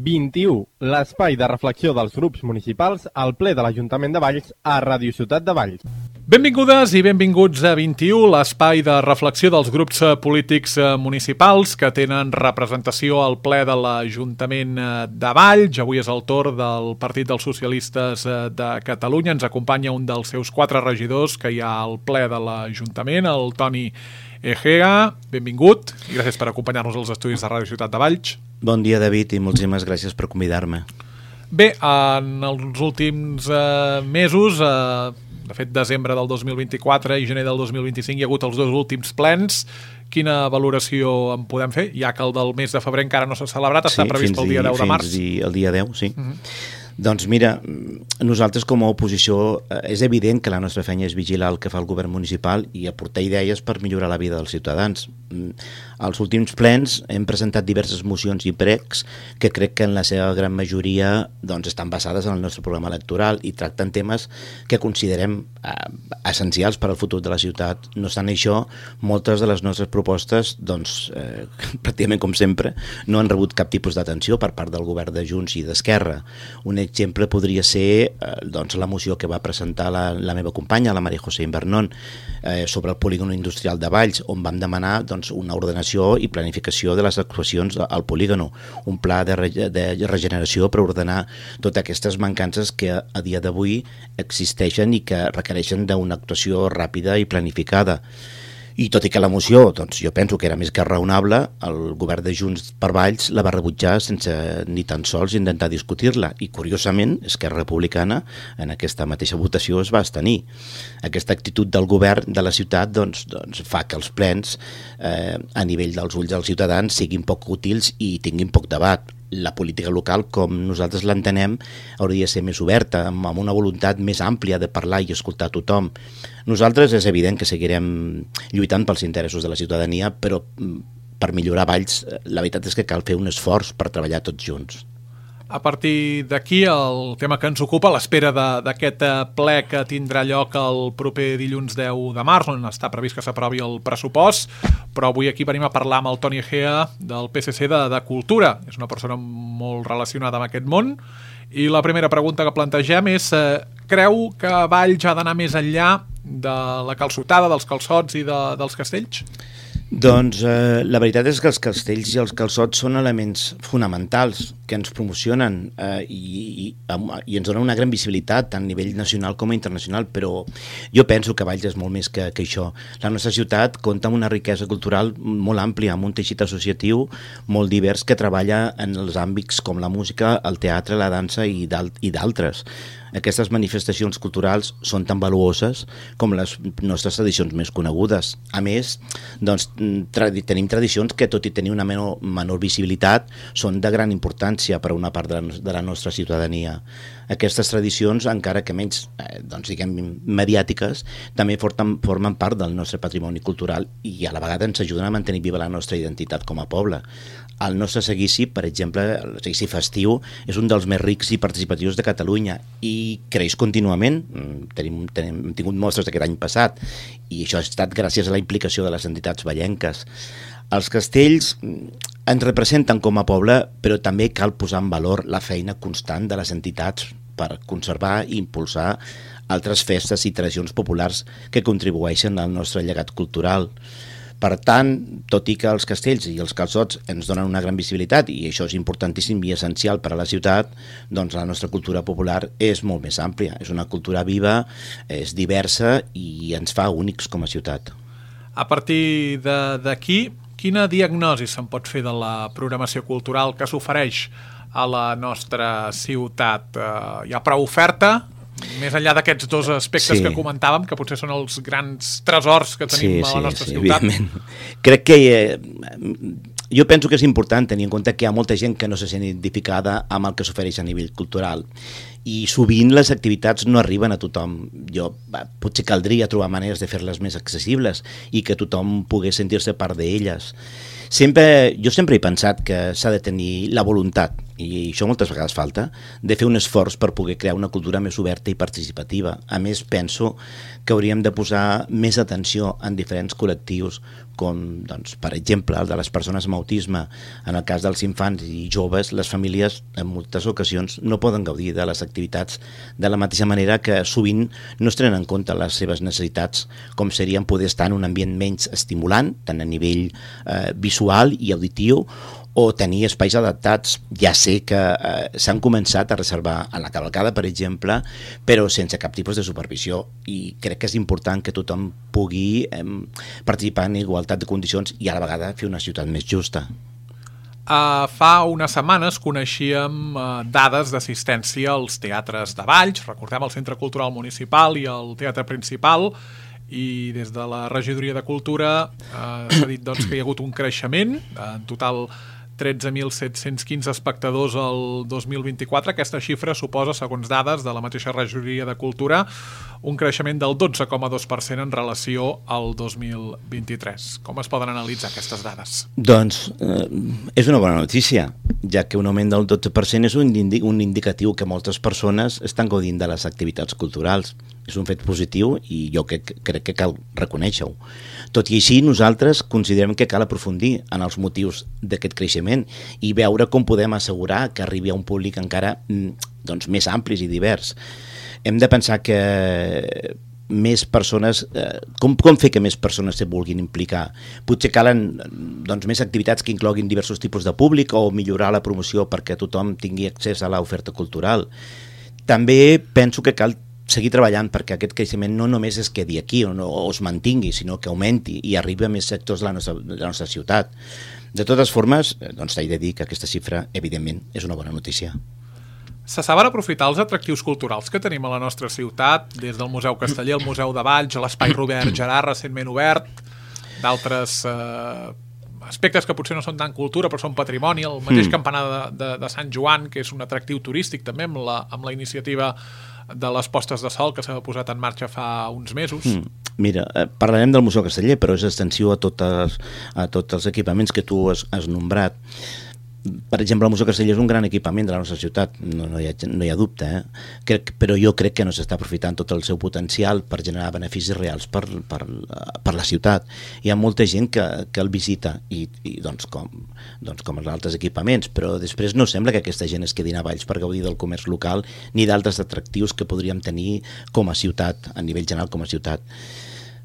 21, l'espai de reflexió dels grups municipals al ple de l'Ajuntament de Valls a Ràdio Ciutat de Valls. Benvingudes i benvinguts a 21, l'espai de reflexió dels grups polítics municipals que tenen representació al ple de l'Ajuntament de Valls. Avui és el torn del Partit dels Socialistes de Catalunya. Ens acompanya un dels seus 4 regidors que hi ha al ple de l'Ajuntament, el Toni Egea. Benvingut i gràcies per acompanyar-nos als estudis de Ràdio Ciutat de Valls. Bon dia, David, i moltíssimes gràcies per convidar-me. Bé, en els últims mesos, de fet, desembre del 2024 i gener del 2025 hi ha hagut els 2 últims plens. Quina valoració en podem fer? Ja que el del mes de febrer encara no s'ha celebrat, està previst pel dia 10 de març. Sí, el dia 10, sí. Doncs mira, nosaltres com a oposició és evident que la nostra feina és vigilar el que fa el govern municipal i aportar idees per millorar la vida dels ciutadans. Als últims plens hem presentat diverses mocions i pregs que crec que en la seva gran majoria estan basades en el nostre programa electoral i tracten temes que considerem essencials per al futur de la ciutat. No obstant això, moltes de les nostres propostes, pràcticament com sempre, no han rebut cap tipus d'atenció per part del govern de Junts i d'Esquerra. Un exemple podria ser la moció que va presentar la meva companya, la María José Invernón, sobre el polígon industrial de Valls, on vam demanar una ordenació i planificació de les actuacions al polígon, un pla de regeneració per ordenar totes aquestes mancances que a dia d'avui existeixen i que requereixen d'una actuació ràpida i planificada. I tot i que la moció, jo penso que era més que raonable, el govern de Junts per Valls la va rebutjar sense ni tan sols intentar discutir-la. I, curiosament, Esquerra Republicana en aquesta mateixa votació es va abstenir. Aquesta actitud del govern de la ciutat fa que els plens, a nivell dels ulls dels ciutadans, siguin poc útils i tinguin poc debat. La política local, com nosaltres l'entenem, hauria de ser més oberta, amb una voluntat més àmplia de parlar i escoltar a tothom. Nosaltres és evident que seguirem lluitant pels interessos de la ciutadania, però per millorar Valls la veritat és que cal fer un esforç per treballar tots junts. A partir d'aquí, el tema que ens ocupa, a l'espera d'aquest ple que tindrà lloc el proper dilluns 10 de març, on està previst que s'aprovi el pressupost, però avui aquí venim a parlar amb el Toni Egea del PSC de Cultura. És una persona molt relacionada amb aquest món, i la primera pregunta que plantegem és: creu que Valls ha d'anar més enllà de la calçotada, dels calçots i dels castells? La veritat és que els castells i els calçots són elements fonamentals que ens promocionen i ens donen una gran visibilitat tant a nivell nacional com a internacional, però jo penso que Valls és molt més que això. La nostra ciutat compta amb una riquesa cultural molt àmplia, amb un teixit associatiu molt divers que treballa en els àmbits com la música, el teatre, la dansa i d'altres. Aquestes manifestacions culturals són tan valuoses com les nostres tradicions més conegudes. A més, tenim tradicions que, tot i tenir una menor visibilitat, són de gran importància per a una part de la nostra ciutadania. Aquestes tradicions, encara que menys mediàtiques, també formen part del nostre patrimoni cultural i a la vegada ens ajuden a mantenir viva la nostra identitat com a poble. El nostre seguici, per exemple, el seguici festiu, és un dels més rics i participatius de Catalunya i creix contínuament. Hem tingut mostres aquest any passat i això ha estat gràcies a la implicació de les entitats vallenques. Els castells ens representen com a poble, però també cal posar en valor la feina constant de les entitats per conservar i impulsar altres festes i tradicions populars que contribueixen al nostre llegat cultural. Per tant, tot i que els castells i els calçots ens donen una gran visibilitat i això és importantíssim i essencial per a la ciutat, la nostra cultura popular és molt més àmplia. És una cultura viva, és diversa i ens fa únics com a ciutat. A partir d'aquí, quina diagnosi se'n pot fer de la programació cultural que s'ofereix a la nostra ciutat? Hi ha prou oferta? Més enllà d'aquests 2 aspectes que comentàvem, que potser són els grans tresors que tenim a la nostra ciutat. Evidentment. Crec que jo penso que és important tenir en compte que hi ha molta gent que no se sent identificada amb el que s'ofereix a nivell cultural i sovint les activitats no arriben a tothom. Potser caldria trobar maneres de fer-les més accessibles i que tothom pogués sentir-se part d'elles. Jo sempre he pensat que s'ha de tenir la voluntat i això moltes vegades falta, de fer un esforç per poder crear una cultura més oberta i participativa. A més, penso que hauríem de posar més atenció en diferents col·lectius, com, doncs, per exemple, el de les persones amb autisme. En el cas dels infants i joves, les famílies en moltes ocasions no poden gaudir de les activitats de la mateixa manera que sovint no es tenen en compte les seves necessitats, com serien poder estar en un ambient menys estimulant, tant a nivell visual i auditiu, o tenir espais adaptats. Ja sé que s'han començat a reservar a la cavalcada, per exemple, però sense cap tipus de supervisió, i crec que és important que tothom pugui participar en igualtat de condicions i a la vegada fer una ciutat més justa. Fa unes setmanes coneixíem dades d'assistència als teatres de Valls, recordem el Centre Cultural Municipal i el Teatre Principal, i des de la Regidoria de Cultura s'ha dit, doncs, que hi ha hagut un creixement, en total 13.715 espectadors el 2024. Aquesta xifra suposa, segons dades de la mateixa Regidoria de Cultura, un creixement del 12,2% en relació al 2023. Com es poden analitzar aquestes dades? Doncs és una bona notícia, ja que un augment del 12% és un indicatiu que moltes persones estan gaudint de les activitats culturals. És un fet positiu i jo crec que cal reconèixer-ho. Tot i així, nosaltres considerem que cal aprofundir en els motius d'aquest creixement i veure com podem assegurar que arribi a un públic encara més ampli i divers. Hem de pensar que més persones, com fer que més persones se vulguin implicar? Potser calen més activitats que incloguin diversos tipus de públic o millorar la promoció perquè tothom tingui accés a l'oferta cultural. També penso que cal seguir treballant perquè aquest creixement no només es quedi aquí o es mantingui, sinó que augmenti i arribi a més sectors de la nostra ciutat. De totes formes, t'he de dir que aquesta xifra, evidentment, és una bona notícia. Se saben aprofitar els atractius culturals que tenim a la nostra ciutat, des del Museu Casteller, el Museu de Valls, l'Espai Robert Gerard, recentment obert, d'altres aspectes que potser no són tan cultura però són patrimoni, el mateix campanar de Sant Joan, que és un atractiu turístic també amb la iniciativa de les postes de sol que s'ha posat en marxa fa uns mesos. Mira, parlarem del Museu Casteller, però és extensiu a tots els equipaments que tu has nombrat. Per exemple, el Museu Casteller és un gran equipament de la nostra ciutat, no hi ha dubte, però jo crec que no s'està aprofitant tot el seu potencial per generar beneficis reals per la ciutat. Hi ha molta gent que el visita com els altres equipaments, però després no sembla que aquesta gent es quedin a Valls per gaudir del comerç local ni d'altres atractius que podríem tenir com a ciutat, a nivell general com a ciutat.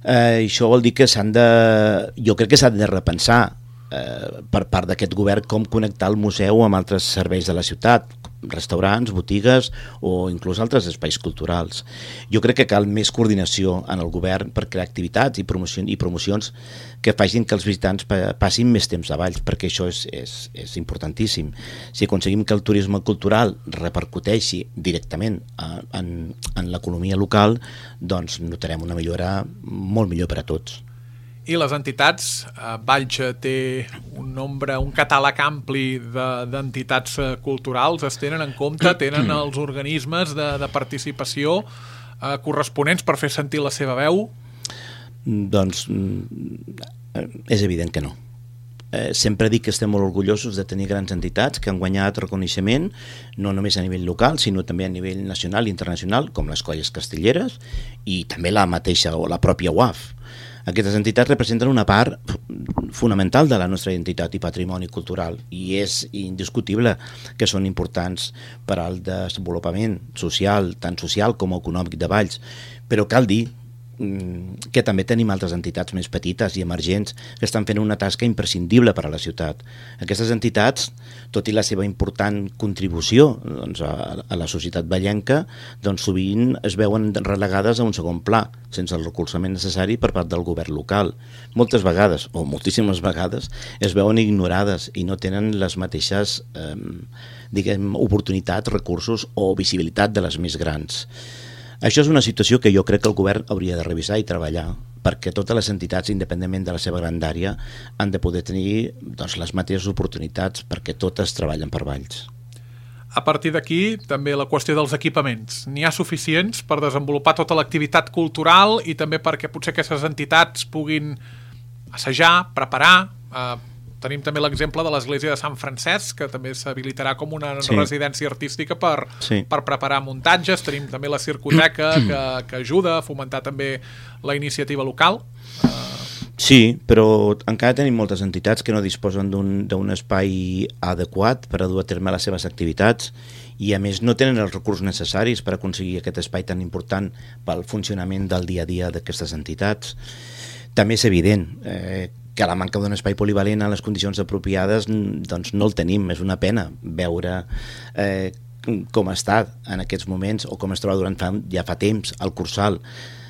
Això vol dir que jo crec que s'ha de repensar per part d'aquest govern com connectar el museu amb altres serveis de la ciutat, restaurants, botigues o inclús altres espais culturals. Jo crec que cal més coordinació en el govern per crear activitats i promocions que facin que els visitants passin més temps a Valls, perquè això és importantíssim. Si aconseguim que el turisme cultural repercuteixi directament en l'economia local, doncs notarem una millora molt millor per a tots. I les entitats, Valls té un catàleg ampli d'entitats culturals, es tenen en compte, tenen els organismes de participació corresponents per fer sentir la seva veu? Doncs és evident que no. Sempre dic que estem molt orgullosos de tenir grans entitats que han guanyat reconeixement no només a nivell local, sinó també a nivell nacional i internacional, com les Colles Castelleres i també la mateixa o la pròpia UAF. Aquestes entitats representen una part fonamental de la nostra identitat i patrimoni cultural i és indiscutible que són importants per al desenvolupament social, tant social com econòmic de Valls, però cal dir que també tenim altres entitats més petites i emergents que estan fent una tasca imprescindible per a la ciutat. Aquestes entitats, tot i la seva important contribució a la societat vallenca, sovint es veuen relegades a un segon pla, sense el recolzament necessari per part del govern local. Moltes vegades, o moltíssimes vegades, es veuen ignorades i no tenen les mateixes oportunitats, recursos o visibilitat de les més grans. Això és una situació que jo crec que el govern hauria de revisar i treballar perquè totes les entitats, independentment de la seva grandària, han de poder tenir les mateixes oportunitats perquè totes treballen per Valls. A partir d'aquí, també la qüestió dels equipaments. N'hi ha suficients per desenvolupar tota l'activitat cultural i també perquè potser aquestes entitats puguin assajar, preparar, tenim també l'exemple de l'església de Sant Francesc, que també s'habilitarà com una residència artística per preparar muntatges. Tenim també la Circoteca, que ajuda a fomentar també la iniciativa local. Sí, però encara tenim moltes entitats que no disposen d'un espai adequat per a dur a terme les seves activitats i a més no tenen els recursos necessaris per aconseguir aquest espai tan important pel funcionament del dia a dia d'aquestes entitats. També és evident que la manca d'un espai polivalent en les condicions apropiades doncs no el tenim. És una pena veure com està en aquests moments o com es troba ja fa temps el Cursal,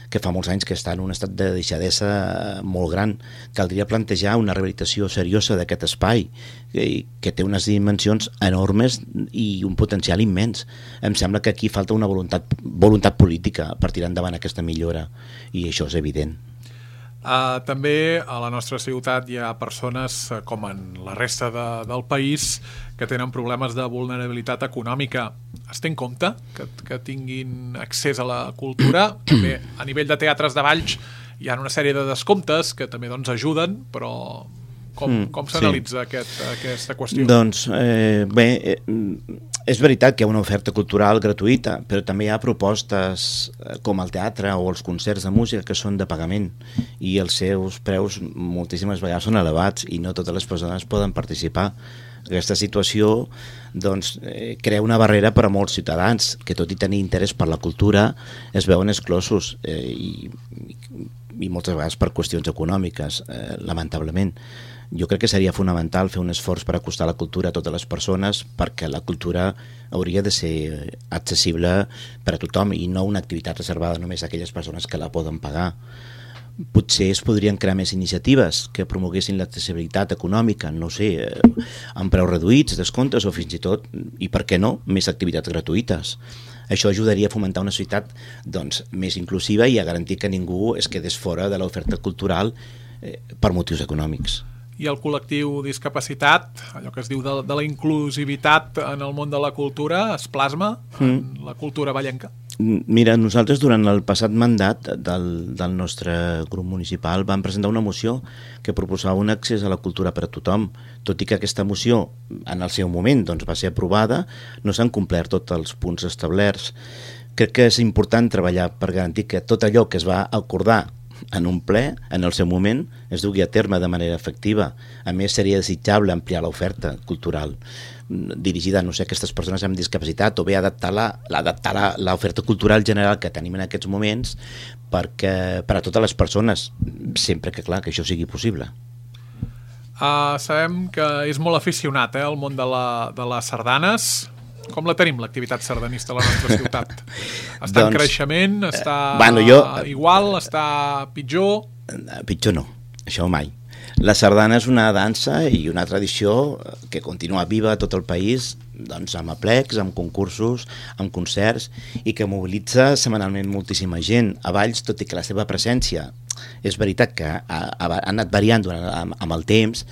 que fa molts anys que està en un estat de deixadesa molt gran. Caldria plantejar una rehabilitació seriosa d'aquest espai, que té unes dimensions enormes i un potencial immens. Em sembla que aquí falta una voluntat política per tirar endavant aquesta millora, i això és evident. També a la nostra ciutat hi ha persones, com en la resta del país, que tenen problemes de vulnerabilitat econòmica. Es té en compte que tinguin accés a la cultura? També a nivell de teatres de Valls hi ha una sèrie de descomptes que també ajuden, però com s'analitza aquesta qüestió? Doncs bé, és veritat que hi ha una oferta cultural gratuïta, però també hi ha propostes com el teatre o els concerts de música que són de pagament i els seus preus moltíssimes vegades són elevats i no totes les persones poden participar. Aquesta situació doncs, crea una barrera per a molts ciutadans que, tot i tenir interès per la cultura, es veuen exclosos i moltes vegades per qüestions econòmiques, lamentablement. Jo crec que seria fonamental fer un esforç per acostar la cultura a totes les persones, perquè la cultura hauria de ser accessible per a tothom i no una activitat reservada només a aquelles persones que la poden pagar. Potser es podrien crear més iniciatives que promoguessin l'accessibilitat econòmica, no sé, amb preus reduïts, descomptes o fins i tot, i per què no, més activitats gratuïtes. Això ajudaria a fomentar una societat més inclusiva i a garantir que ningú es quedés fora de l'oferta cultural per motius econòmics. I el col·lectiu discapacitat, allò que es diu de la inclusivitat en el món de la cultura, es plasma en la cultura vallenca? Mira, nosaltres durant el passat mandat del nostre grup municipal vam presentar una moció que proposava un accés a la cultura per a tothom. Tot i que aquesta moció en el seu moment va ser aprovada, no s'han complert tots els punts establerts. Crec que és important treballar per garantir que tot allò que es va acordar en un ple, en el seu moment, es dugui a terme de manera efectiva. A més, seria desitjable ampliar l'oferta cultural dirigida, no sé, a aquestes persones amb discapacitat, o bé adaptar l'oferta cultural general que tenim en aquests moments per a totes les persones, sempre que, clar, que això sigui possible. Sabem que és molt aficionat al món de les sardanes. Com la tenim, l'activitat sardanista a la nostra ciutat? Està en creixement? Està igual? Està pitjor? Pitjor no, això mai. La sardana és una dansa i una tradició que continua viva a tot el país, amb aplecs, amb concursos, amb concerts, i que mobilitza setmanalment moltíssima gent. A Valls, tot i que la seva presència és veritat que ha anat variant amb el temps,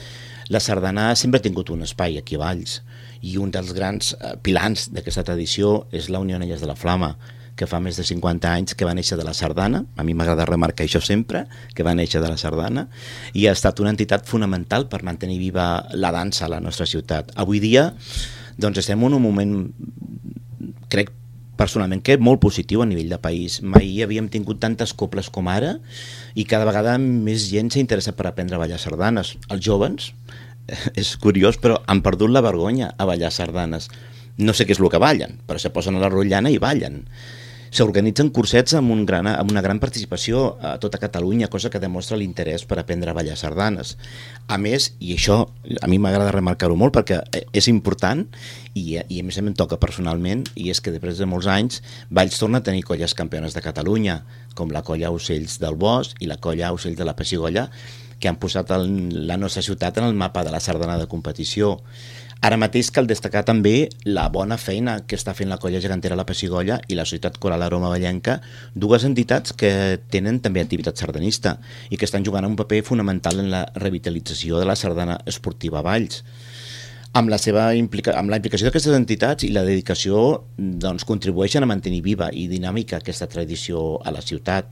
la sardana sempre ha tingut un espai aquí a Valls, i un dels grans pilars d'aquesta tradició és la Unió Anelles de la Flama, que fa més de 50 anys que va néixer de la sardana. A mi m'agrada remarcar això sempre, que va néixer de la sardana, i ha estat una entitat fonamental per mantenir viva la dansa a la nostra ciutat. Avui dia estem en un moment, crec personalment, que molt positiu a nivell de país. Mai havíem tingut tantes coples com ara i cada vegada més gent s'ha interessat per aprendre a ballar sardanes. Els jóvens, és curiós, però han perdut la vergonya a ballar sardanes. No sé què és el que ballen, però se posen a la rotllana i ballen. S'organitzen cursets amb una gran participació a tota Catalunya, cosa que demostra l'interès per aprendre a ballar sardanes. A més, i això a mi m'agrada remarcar-ho molt perquè és important i a més em toca personalment, i és que després de molts anys Valls torna a tenir colles campiones de Catalunya, com la colla Ocells del Bosc i la colla Ocells de la Pessigolles, que han posat la nostra ciutat en el mapa de la sardana de competició. Ara mateix cal destacar també la bona feina que està fent la colla gegantera La Pessigolles i la Societat Coral Aroma Vallenca, dues entitats que tenen també activitat sardanista i que estan jugant un paper fonamental en la revitalització de la sardana esportiva a Valls. amb la implicació d'aquestes entitats i la dedicació doncs, contribueixen a mantenir viva i dinàmica aquesta tradició a la ciutat.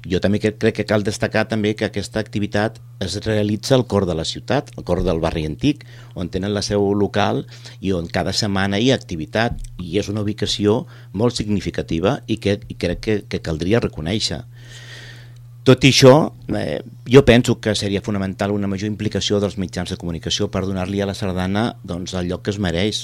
Jo també crec que cal destacar també que aquesta activitat es realitza al cor de la ciutat, al cor del barri antic, on tenen la seu local i on cada setmana hi ha activitat, i és una ubicació molt significativa i crec que caldria reconèixer. Tot i això, jo penso que seria fonamental una major implicació dels mitjans de comunicació per donar-li a la sardana doncs, el lloc que es mereix.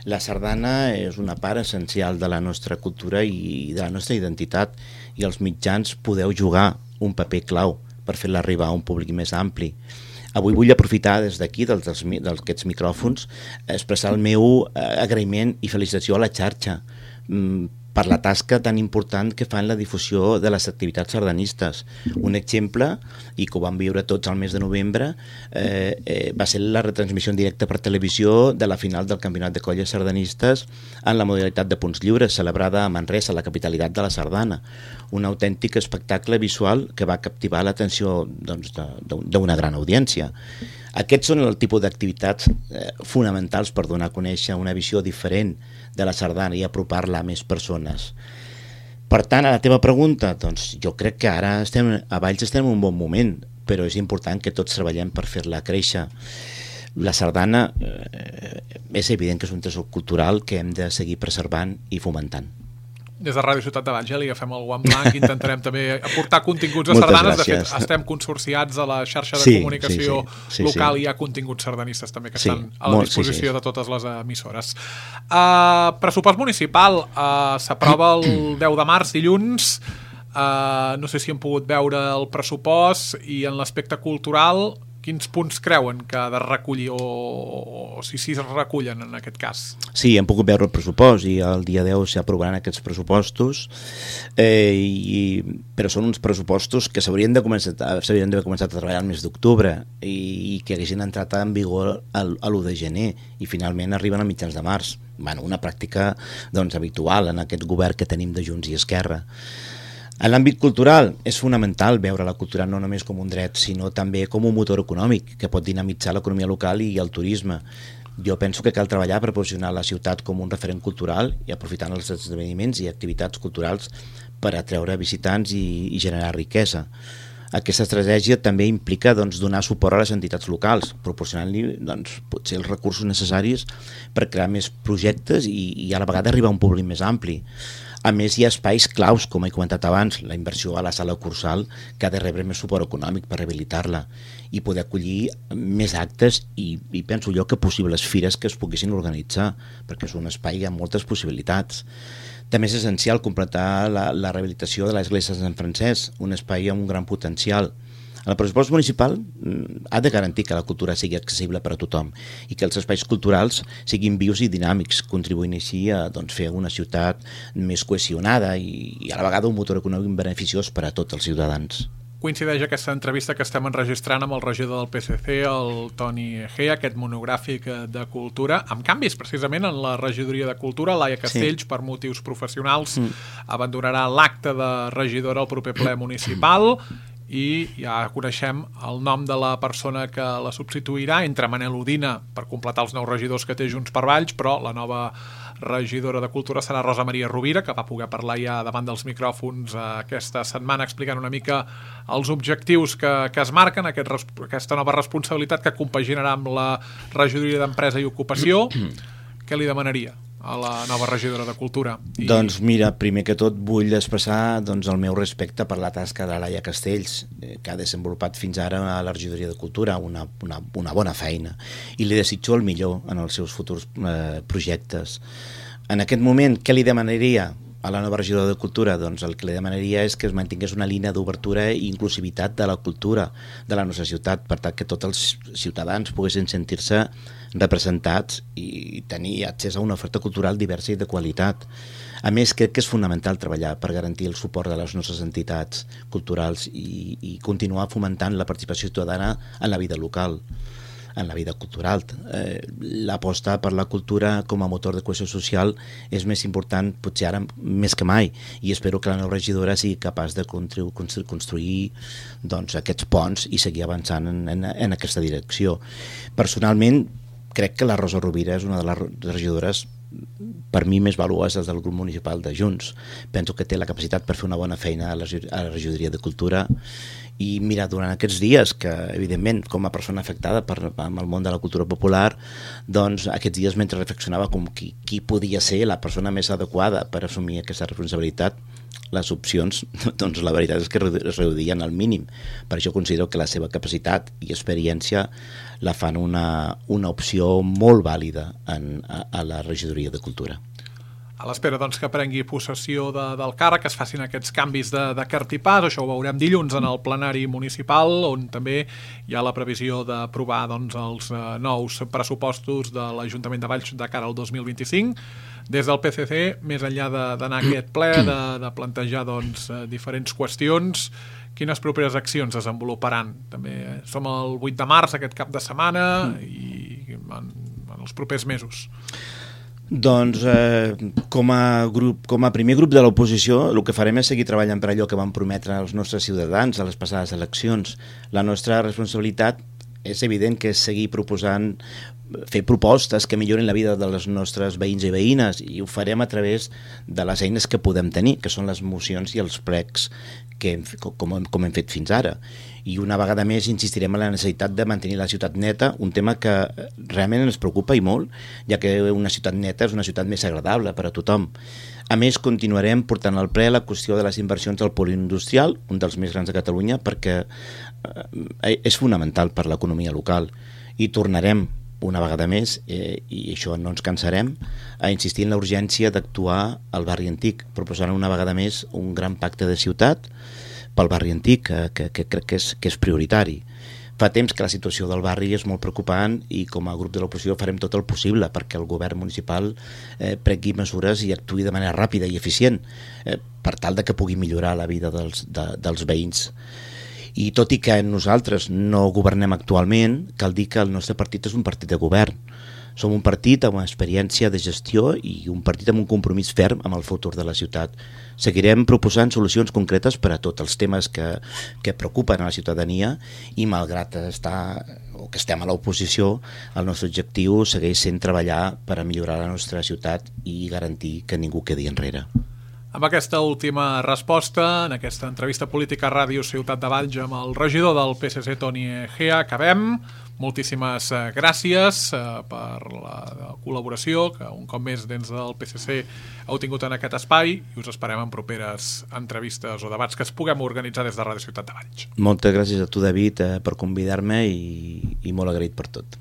La sardana és una part essencial de la nostra cultura i de la nostra identitat, i els mitjans podeu jugar un paper clau per fer-la arribar a un públic més ampli. Avui vull aprofitar des d'aquí, d'aquests micròfons, expressar el meu agraïment i felicitació a la xarxa per la tasca tan important que fan la difusió de les activitats sardanistes. Un exemple, i que ho vam viure tots al mes de novembre, va ser la retransmissió en directe per televisió de la final del Campionat de Colles Sardanistes en la modalitat de punts lliures, celebrada a Manresa, la capitalitat de la sardana. Un autèntic espectacle visual que va captivar l'atenció d'una gran audiència. Aquests són el tipus d'activitats fonamentals per donar a conèixer una visió diferent de la sardana i apropar-la a més persones. Per tant, a la teva pregunta, doncs jo crec que ara a Valls estem en un bon moment, però és important que tots treballem per fer-la créixer. La sardana és evident que és un tresor cultural que hem de seguir preservant i fomentant. Des de Ràdio Ciutat de Valls li agafem el guant blanc, intentarem també aportar continguts de sardanes. De fet, estem consorciats a la xarxa de comunicació local i hi ha continguts sardanistes també que estan a la disposició de totes les emissores. Pressupost municipal s'aprova el 10 de març, dilluns. No sé si hem pogut veure el pressupost i en l'aspecte cultural quins punts creuen que ha de recollir o si es recullen en aquest cas? Sí, hem pogut veure el pressupost i el dia 10 s'aprovaran aquests pressupostos, però són uns pressupostos que s'haurien d'haver començat a treballar el mes d'octubre i que haguessin entrat en vigor l'1 de gener i finalment arriben a mitjans de març. Una pràctica habitual en aquest govern que tenim de Junts i Esquerra. En l'àmbit cultural és fonamental veure la cultura no només com un dret, sinó també com un motor econòmic que pot dinamitzar l'economia local i el turisme. Jo penso que cal treballar per posicionar la ciutat com un referent cultural i aprofitant els esdeveniments i activitats culturals per atreure visitants i generar riquesa. Aquesta estratègia també implica donar suport a les entitats locals, proporcionant-li potser els recursos necessaris per crear més projectes i a la vegada arribar a un públic més ampli. A més, hi ha espais claus, com he comentat abans, la inversió a la sala Cursal, que ha de rebre més suport econòmic per rehabilitar-la i poder acollir més actes i penso jo que possibles fires que es poguessin organitzar, perquè és un espai amb moltes possibilitats. També és essencial completar la rehabilitació de l'església de Sant Francesc, un espai amb un gran potencial. El pressupost municipal ha de garantir que la cultura sigui accessible per a tothom i que els espais culturals siguin vius i dinàmics, contribuint així a fer una ciutat més cohesionada i a la vegada un motor econòmic beneficiós per a tots els ciutadans. Coincideix aquesta entrevista que estem enregistrant amb el regidor del PSC, el Toni Egea, aquest monogràfic de cultura, amb canvis precisament en la regidoria de cultura. Laia Castells, per motius professionals, abandonarà l'acte de regidora al proper ple municipal i ja coneixem el nom de la persona que la substituirà, entre Manel Udina per completar els 9 regidors que té Junts per Valls, però la nova regidora de Cultura serà Rosa Maria Rovira, que va poder parlar ja davant dels micròfons aquesta setmana explicant una mica els objectius que es marquen, aquesta nova responsabilitat que compaginarà amb la regidoria d'Empresa i Ocupació. Què li demanaria a la nova regidora de Cultura? Doncs mira, primer que tot vull expressar el meu respecte per la tasca de Laia Castells, que ha desenvolupat fins ara a la regidoria de Cultura una bona feina, i li desitjo el millor en els seus futurs projectes. En aquest moment, què li demanaria a la nova regidora de Cultura? Doncs el que li demanaria és que es mantingués una línia d'obertura i inclusivitat de la cultura de la nostra ciutat, per tal que tots els ciutadans poguessin sentir-se representats i tenir accés a una oferta cultural diversa i de qualitat. A més, crec que és fonamental treballar per garantir el suport de les nostres entitats culturals i continuar fomentant la participació ciutadana en la vida local, en la vida cultural. L'aposta per la cultura com a motor de cohesió social és més important potser ara més que mai, i espero que la nova regidora sigui capaç de construir aquests ponts i seguir avançant en aquesta direcció. Personalment crec que la Rosa Rovira és una de les regidores per mi més valuoses del grup municipal de Junts. Penso que té la capacitat per fer una bona feina a la regidoria de Cultura. I mira, durant aquests dies, que evidentment com a persona afectada amb el món de la cultura popular, doncs aquests dies mentre reflexionava com qui podia ser la persona més adequada per assumir aquesta responsabilitat, les opcions, doncs la veritat és que es reduïen al mínim. Per això considero que la seva capacitat i experiència la fan una opció molt vàlida a la regidoria de Cultura. A l'espera doncs, que prengui possessió del càrrec, que es facin aquests canvis de cartipàs. Això ho veurem dilluns en el plenari municipal, on també hi ha la previsió d'aprovar doncs, els nous pressupostos de l'Ajuntament de Valls de cara al 2025. Des del PSC, més enllà d'anar a aquest ple, de plantejar doncs, diferents qüestions, quines properes accions desenvoluparan? També som el 8 de març, aquest cap de setmana, i en els propers mesos. Doncs com a primer grup de l'oposició el que farem és seguir treballant per allò que van prometre els nostres ciutadans a les passades eleccions. La nostra responsabilitat és evident que és seguir proposant, fer propostes que millorin la vida dels nostres veïns i veïnes, i ho farem a través de les eines que podem tenir, que són les mocions i els plecs com hem fet fins ara. I una vegada més insistirem en la necessitat de mantenir la ciutat neta, un tema que realment ens preocupa i molt, ja que una ciutat neta és una ciutat més agradable per a tothom. A més, continuarem portant al ple la qüestió de les inversions del polígon-industrial, un dels més grans de Catalunya, perquè és fonamental per l'economia local. I tornarem una vegada més, i això no ens cansarem, a insistir en la urgència d'actuar al barri antic, proposant una vegada més un gran pacte de ciutat pel barri antic, que crec que és prioritari. Fa temps que la situació del barri és molt preocupant i com a grup de l'oposició farem tot el possible perquè el govern municipal prengui mesures i actuï de manera ràpida i eficient per tal de que pugui millorar la vida dels veïns. I tot i que nosaltres no governem actualment, cal dir que el nostre partit és un partit de govern. Som un partit amb experiència de gestió i un partit amb un compromís ferm amb el futur de la ciutat. Seguirem proposant solucions concretes per a tots els temes que preocupen a la ciutadania i malgrat que estem a l'oposició, el nostre objectiu segueix sent treballar per a millorar la nostra ciutat i garantir que ningú quedi enrere. Amb aquesta última resposta, en aquesta entrevista política a Ràdio Ciutat de Valls amb el regidor del PSC, Toni Egea, acabem. Moltíssimes gràcies per la col·laboració que un cop més dins del PSC heu tingut en aquest espai i us esperem en properes entrevistes o debats que es puguem organitzar des de Ràdio Ciutat de Valls. Moltes gràcies a tu, David, per convidar-me i molt agraït per tot.